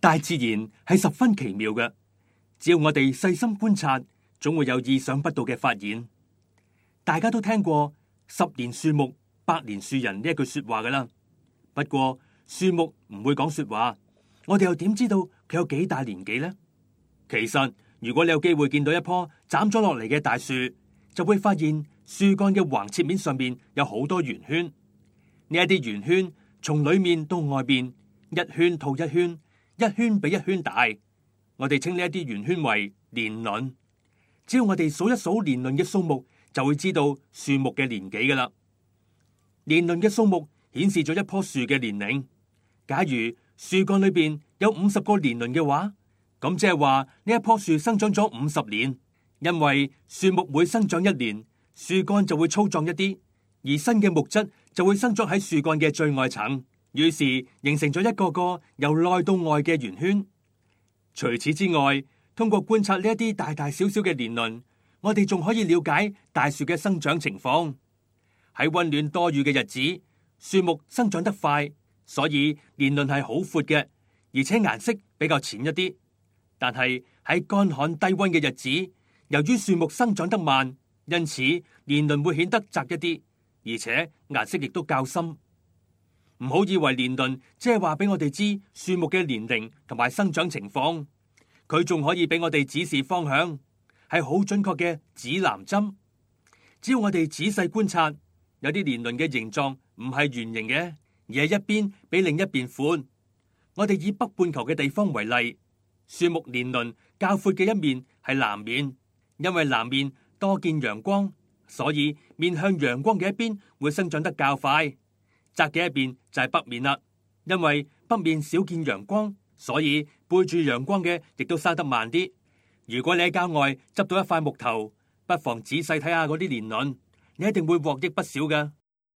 大自然係十分奇妙嘅，只要我哋細心觀察，總會有意想不到嘅發現。大家都聽過10年樹木，百年樹人呢一句說話噶啦。不過樹木唔會講說話，我哋又點知道佢有幾大年紀呢？其實如果你有機會見到一棵斬咗落嚟嘅大樹，就會發現樹幹嘅橫切面上面有好多圓圈。呢一啲圓圈從裏面到外邊，一圈套一圈，一圈比一圈大。我哋稱呢一啲圓圈為年輪。只要我哋數一數年輪嘅數目，就會知道樹木嘅年紀噶啦。年輪嘅數目顯示咗一棵樹嘅年齡。假如樹幹裏邊有50個年輪嘅話，咁即係話呢一棵樹生長咗50年。因為樹木每生長一年，樹幹就會粗壯一啲，而新嘅木質就會生長喺樹幹嘅最外層，於是形成咗一個個由內到外嘅圓圈。除此之外，通過觀察呢一啲大大小小嘅年輪，我哋仲可以了解大樹嘅生長情況。喺溫暖多雨嘅日子，樹木生長得快，所以年輪係好闊嘅，而且顏色比較淺一啲。但係喺乾旱低溫嘅日子，由於樹木生長得慢，因此年輪會顯得窄一啲，而且顏色亦都較深。唔好以為年輪即係話俾我哋知樹木嘅年齡同埋生長情況，佢仲可以俾我哋指示方向，係好準確嘅指南針。只要我哋仔細觀察，有啲年輪嘅形狀唔係圓形嘅，而係一邊比另一邊寬。我哋以北半球嘅地方為例，樹木年輪較闊嘅一面係南面。因為南面多見陽光，所以面向陽光嘅一邊會生長得較快。窄嘅一邊就係北面啦。因為北面少見陽光，所以背住陽光嘅亦都生得慢啲。如果你喺郊外執到一塊木頭，不妨仔細睇下嗰啲年輪，你一定會獲益不少㗎。